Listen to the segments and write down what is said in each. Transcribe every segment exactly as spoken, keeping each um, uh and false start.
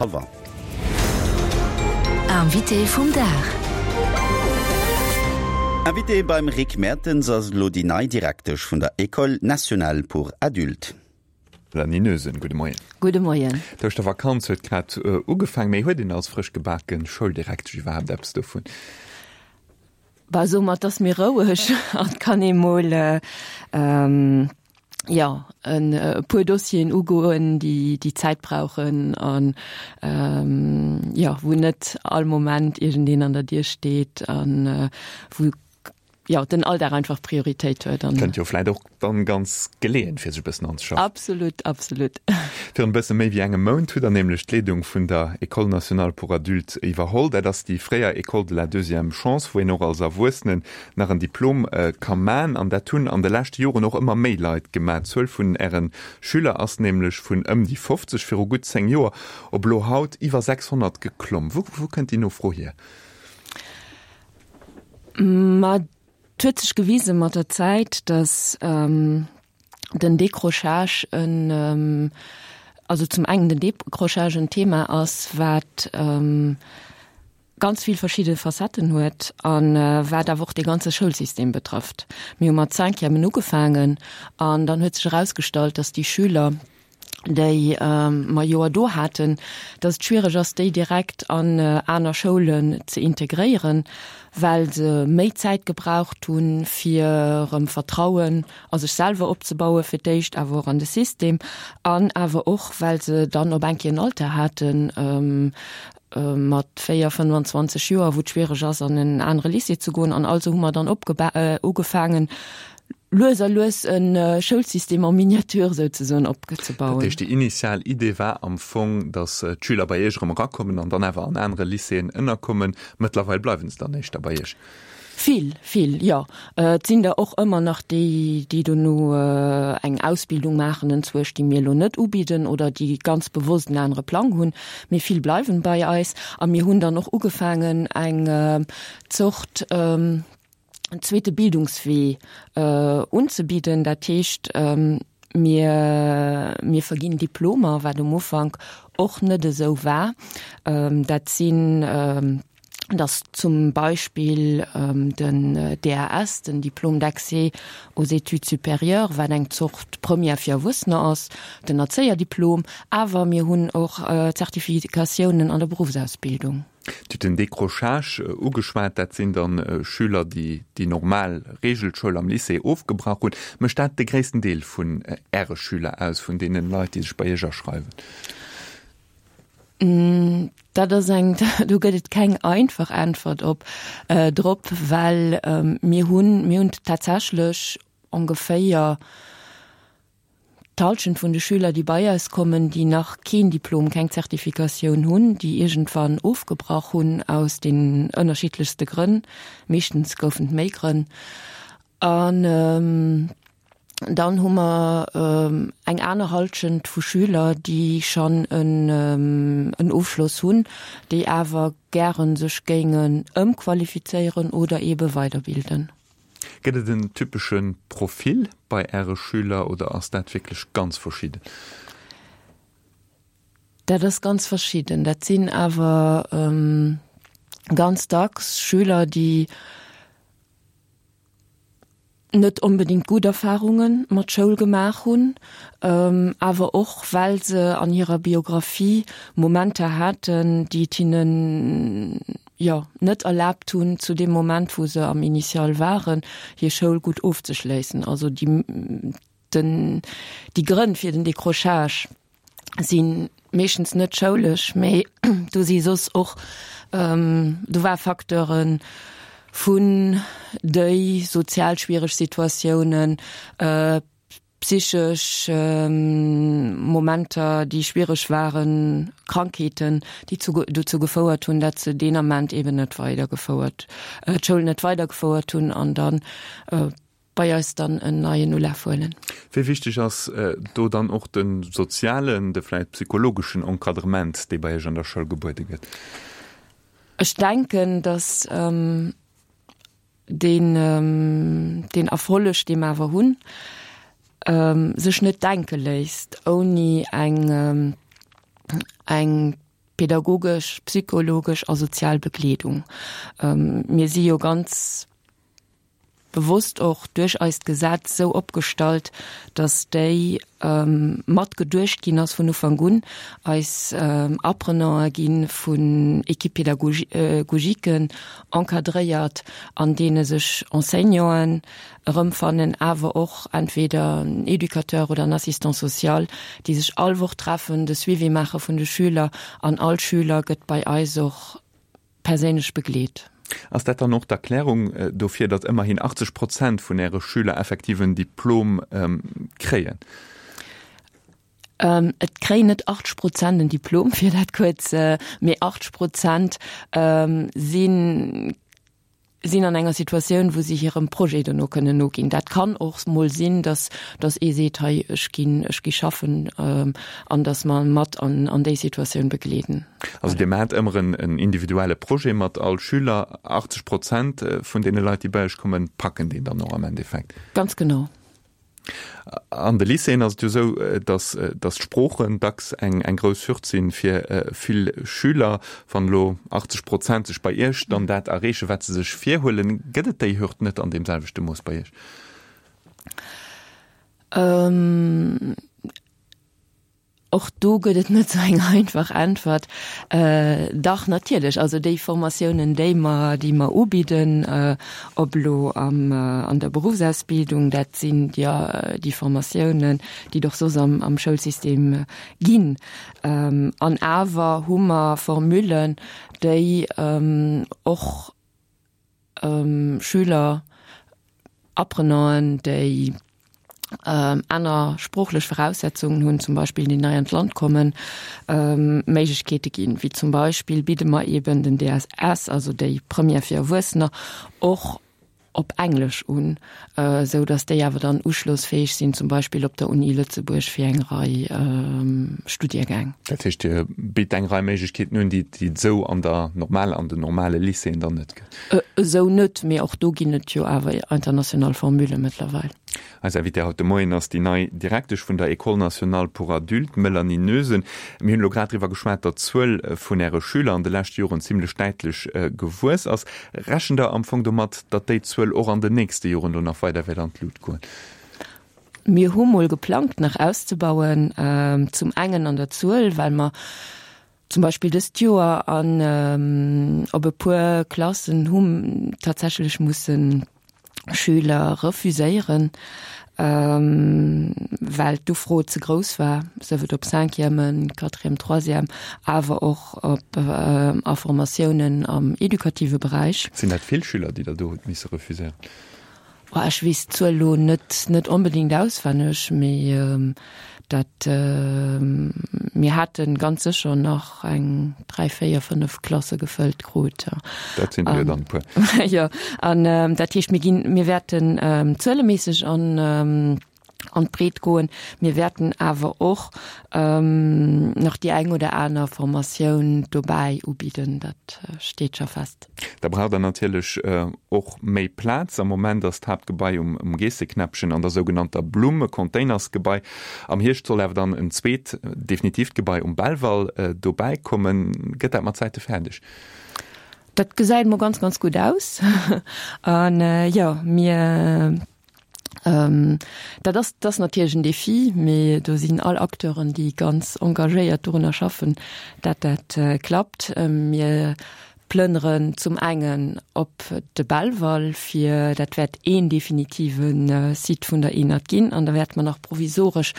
Hallwer. Invité vum Dag. Invité beim Rick Mertens ass elo déi nei Direktesch vun der École nationale pour adultes. Melanie Noesen, gudde Moien. Gudde Moien. D'Ouschtervakanz huet grad ugefaangen, mee huet een als frësch gebake Schouldirektesch iwwerhaapt eppes dovun? Bah, soe mer, et ass méi roueg an et kann ee mol jo, e puer Dossieren ugoen, déi déi Zäit brauchen an jo, wou net all Moment iergendeen an der Dier steet an wou jo den Alldag einfach Prioritéit huet. Kënnt jo vläit och dann ganz geleeën, fir sech e bëssen anzeschaffen. Absolut, absolut. Virun e bësse méi wéi engem Mount hutt Der nämlech d'Leedung vun der École nationale pour adultes iwwerholl. Dat ass déi fréier École de la deuxième chance, wou een och als Erwuessenen nach en Diplom ka man. An dat hunn an de leschte Joren och ëmmer méi Leit gemaach. D'Zuel vun Äre Schüler ass nämlech vun ëm déi fofzeg viru gutt zéng Joer op elo haut iwwer sechshonnert geklomm. Wou wou kënnt déi Nofro hier? Ma et huet sech gewise mat der Zäit, datt den Décrochage en, also zum engen den Décrochage en Thema ass, wat ganz vill verschidde Facetten huet a wat awer och dee ganze Schoulsystem betrëfft. Mir hu mat Cinquièmen ugefaangen an dann huet sech erausgestallt, dass déi Schüler, déi mer Joer do haten, dass et schwiereg ass, déi direkt an aner Schoulen ze integréieren, well se méi Zäit gebraucht hunn, fir erëm Vertrauen a sech selwer opzebauen, fir d'éischt, awer och an de System, an awer och, well se dann op eng Kéier en Alter haten, mat véier, fënnefanzwanzeg Joer, wou et schwiereg ass, an en anere Lycée ze goen. An also hu mer dann ugefaangen, lues a lues e Schoulsystem en miniature souzesoen opzebauen. Dat heescht, déi initial Idee war am Fong, datt d'Schüler bei Iech erëm erakommen an dann awer an anere Lycéeën ënnerkommen. Mëttlerweil bleiwe se dann éischter bei Iech. Vill, vill, jo. Et sinn der och ëmmer nach déi, déi dono eng Ausbildung maachen enzwousch, déi mir elo net ubidden oder déi ganz bewosst en anere Plang hunn. Mee vill bleiwen bei eis. A mir hunn dann och ugefaangen, eng Zort zweete Bildungswee unzebidden. Dat heescht, mir, mir verginn Diplomer, wat um Ufank och net esou war. Dat sinn dass zum Beispill den D A S, den Diplôme d'accès aux études supérieures, wat eng Zort Première fir Erwuessener ass, den Erzéierdiplom, awer mir hunn och Zertifikatiounen an der Beruffsausbildung. Dir hutt den Décrochage ugeschwat, dat sinn dann Schüler, déi déi normal Regelschoul am Lycée ofgebrach hunn. Mécht dat de gréissten Deel vun Äre Schüler aus, vun deenen Leit, déi sech bei Iech aschreiwen? Dat ass eng, do gëtt et keng einfach Äntwert op drop, well mir hunn, mir hunn tatsächlech ongeféier d'Halschent vun de Schüler, déi bei eis kommen, déi nach keen Diplom, keng Zertifikatioun hunn, déi iergendwann ofgebrach hunn aus den ënnerschiddlechste Grënn. Meeschtens goufen et méi Grënn. An dann hu mer eng aner Halschent vu Schüler, déi schonn en Ofschloss hunn, déi awer gäre sech géingen ëmqualifizéieren oder eebe weiderbilden. Gëtt et en typesche Profil bei Äre Schüler oder ass dat wierklech ganz verschidden? Dat ass ganz verschidden. Dat sinn awer ganz dacks Schüler, déi net onbedéngt gutt Erfarunge mat Schoul gemaach hunn, awer och well se an hirer Biographie Momenter haten, déi et hinnen, jo, net erlaabt hunn, zu deem Moment, wou se am Initial waren, hir Schoul gutt ofzeschléissen. Also déi, den, déi Grënn fir den Décrochage si meeschtens net schoulesch, mee do si soss och, do war Facteuren vun déi sozial schwiereg Situatiounen, psychesch Momenter, déi schwiereg waren, Krankheeten, déi dozou gefouert hunn, datt se deen Ament eeben net weidergefouert, d'Schoul net weidergefouert hunn an dann bei eis dann en neien Ulaf huelen. Wéi wichteg ass do dann och de sozialen, de vläicht psychologeschen Encadrement, dee bei Iech an der Schoul gebuede gëtt? Ech denken, datt deen, deen Erfolleg, dee mer awer hunn, sech net denke léisst ouni eng, eng pädagogesch, psychologesch a sozial Begleedung. Mir si jo ganz bewosst och duerch eist Gesetz esou opgestallt, dass déi mat geduecht ginn ass vun Ufank un. Eis Apprenantë gi vun Équipes pédagogiquen encadréiert, an deene sech Enseignanten erëmfannen, awer och entweder en Educateur oder en Assistant social, déi sech all Woch treffen, de Suivi maache vun de Schüler an all Schüler gëtt bei eis och perséinlech begleet. Ass dat dann och d'Erklärung dofir, datt ëmmerhin achtzeg Prozent vun Äre Schüler effektiv en Diplom kréien? Et kréien net achtzeg Prozent en Diplom, fir dat kuerz, mee achtzeg Prozent sinn sinn an enger Situatioun, wou si hirem Projet dono kënnen noginn. Dat kann och mol sinn, datt datt ee seet, hei ech ginn ech gi schaffen, an datt mer mat an an déi Situatioun begleeden. Also Dir maacht ëmmer en en individuelle Projet mat all Schüler. achtzeg Prozent vun deene Leit, déi bei Iech kommen, packen deen dann och am Endeffekt? Ganz genau. An de Lycéeën ass et jo esou, datt datt d'Sproochen dacks eng eng grouss Hürd sinn fir vill Schüler. Wann elo achtzeg Prozent sech bei Iech dann dat erreechen, wat se sech virhuelen, gëtt et déi Hürd net an deem selwechte Mooss bei Iech? Och do gëtt et net esou eng einfach Äntwert. Dach, natierlech. Also déi Formatiounen, déi mer, déi mer ubidden, ob elo am, an der Berufsausbildung, dat sinn jo déi Formatiounen, déi et och soss am, am Schoulsystem ginn. An awer hu mer Formullen, déi och Schüler, Apprenanten, déi aner sproochlech Voraussetzungen hunn, zum Beispill déi nei an d'Land kommen, Méiglechkeete ginn. Wéi zum Beispill bidde mer eeben den D S S, also déi Première fir Erwuessener, och op Englesch un, esou datt déi awer dann uschlossfäeg sinn, zum Beispill op der Uni Lëtzebuerg fir eng Rei Studiegäng. Dat heescht, Dir bitt eng Rei Méiglechkeeten un, déi et esou an der normal, an den normale Lycéeën dann net gëtt? Esou net, mee och do ginn et jo awer international Formule mëttlerweil. Eis Invitée haut de Moien ass déi nei Direktesch vun der École nationale pour adultes, d'Mélanie Noesen. Mir hunn elo grad driwwer geschwat, datt d'Zuel vun Äre Schüler an de leschte Joren zimlech däitlech gewuess ass. Rechent Der am Fong domat, datt déi Zuel och an den nächste Joren do nach weider wäert an d'Lut goen? Mir hu mol geplangt, nach auszebauen, zum engen an der Zuel, well mer zum Beispill dëst Joer an op e puer Klassen hu tatsächlech mussen Schüler refuséieren, well d'Ufro ze grouss war, sief et op Cinquièmen, Quatrième, Troisième, awer och op a Formatiounen am edukative Beräich. Sinn dat vill Schüler, déi Der do hutt misse refuséieren? Ech weess d'Zuel elo net net onbedéngt auswenneg, mee dat mir hate ganz sécher nach eng dräi, véier, fënnef Klasse gefëllt krut. Dat sinn der jo dann e puer. Jo, an dat heescht, mir ginn, mir wäerten zueleméisseg an an d'Breet goen. Mir wäerten awer och nach déi eng oder aner Formatioun dobäi ubidden, dat steet scho fest. Da braucht Der natierlech och méi Plaz. Am Moment ass d'Haaptgebai um Geesseknäppchen an der sougenannter Blumm e Containersgebai. Am Hierscht soll awer dann en zweet, definitiivt Gebai um Belval dobäi kommen. Gëtt dat mat Zäite fäerdeg? Dat gesäit mol ganz, ganz gutt aus. An jo, mir Dat ass, dat ass natierlech en Défi, mee do sinn all Acteuren, déi ganz engagéiert dorunner schaffen, dat dat klappt. Mir plënneren zum engen op de Belval, fir dat wäert een definitive Site vun der ENAD ginn, an da wäerte mer nach provisoresch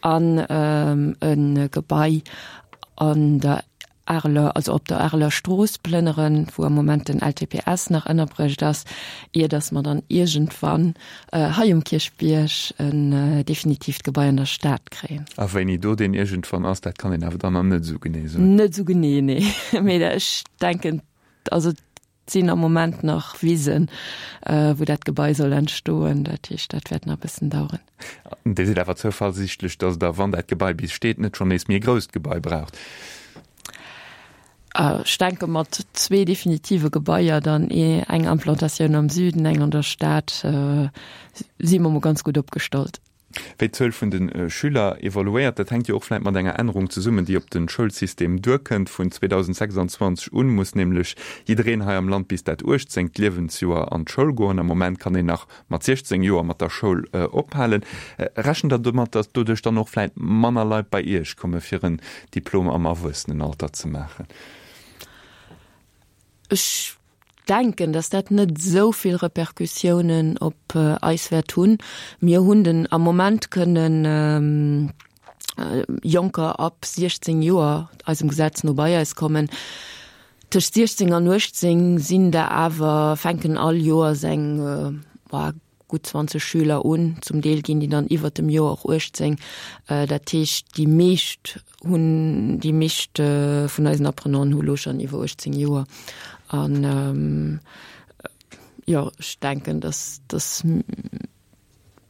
an e Gebai an der Areler, also op der Areler Strooss plënneren, wou am Moment den L T P S nach ënnerbruecht ass, ier datt mer dann iergendwann hei um Kierchbierg en definitiivt Gebai an der Stad kréien. A wéini do deen iergendwann ass, dat kann een awer dann nach net esou genee soen. Net esou genee, nee. Mee ech denken, also et sinn am Moment nach Wisen, wou dat Gebai soll entstoen. Dat heescht, dat wäert nach e bëssen daueren. Dir sidd awer zouversiichtlech, datt Der, wann dat Gebai bis steet, net schonn nees méi e grousst Gebai braucht? Ech denke mat zwee definitive Gebaier, dann eng Implantatioun am Süden, eng an der Stad, si mer mol ganz gutt opgestallt. Wéi d'Zuel vun de Schüler evoluéiert, dat hänkt jo och vläicht mat enger Ännerung zesummen, déi op de Schoulsystem duerkënnt. Vun zweedausendsechsanzwanzeg un muss nämlech jiddereen hei am Land bis dat uechtzéngt Liewensjoer an d'Schoul goen. Am Moment kann een nach mat siechzéng Joer mat der Schoul ophalen. Rechent Der domat, datt doduerch dann och vläicht manner Leit bei Iech komme fir en Diplom am Erwuessenenalter ze maachen? Ech denken, dass dat net esou vill Repercussiounen op eis wäert hunn. Mir hunn den am Moment kënnen Jonker ab siechzéng Joer eisem Gesetz no bei eis kommen. Tëscht siechzéng an uechtzéng sinn der awer, fänken all Joers eng gutt zwanzeg Schüler un. Zum Deel ginn déi dann iwwert dem Joer och uechtzéng. Dat heescht, déi meescht hunn, déi meescht vun eisen Apprenanten hu lo schonn iwwer uechtzéng Joer. An jo, ech denken, dass, dass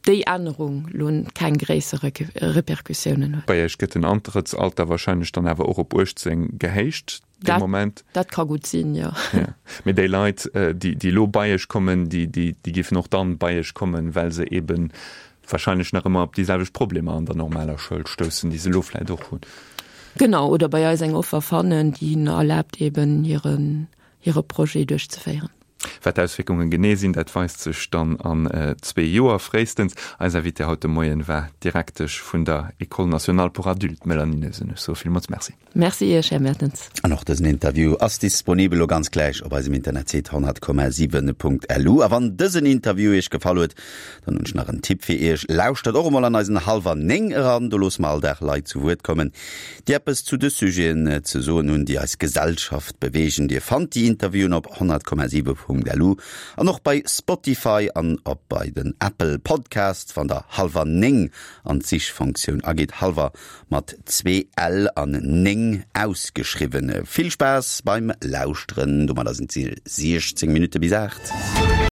déi Ännerung lo keng gréisser Repercussiounen huet. Bei Iech gëtt den Antrëttsalter wahrscheinlech dann awer och op uechtzéng gehéicht dee Moment? Dat ka gutt sinn, jo. Ja. Mee déi Leit, déi, déi elo bei Iech kommen, déi, déi, déi géifen och dann bei Iech kommen, well se eeben wahrscheinlech nach ëmmer op déi selwecht Problemer an der normaler Schoul stoussen, déi se elo vläicht och hunn. Genau, oder bei eis eng Offer fannen, déi hinnen erlaabt, eeben hiren, hire Projet duerchzeféieren. Wat d'Auswierkunge genee sinn, dat weist sech dann an zwee Joer fréistens. Eis Invitée haut de Moien war d'Direktesch vun der École nationale pour adultes, d'Mélanie Noesen. Ech soe villmools Merci. Merci Iech, Här Mertens. An och dësen Interview ass disponibel elo ganz gläich op eisem Internetsite honnert Komma siwen Punkt lu. A wann dësen Interview Iech gefall huet, dann hunn ech nach en Tipp fir Iech, Lauschtert och emol an eisen Hallwer néng eran, do loosse mer all Dag Leit zu Wuert kommen, déi eppes zu de Sujeten ze soen hunn, déi eis Gesellschaft beweegen. Dir fannt déi Interviewen op honnert Komma siwen Punkt lu an och bei Spotify an op bei den Apple Podcasts, wann der Hallwer néng an d'Sichfunktioun agitt, Hallwer mat zwee L an néng ausgeschriwwen. Vill Spaass beim Lauschteren, domadder sinn et siechzéng Minutte bis aacht.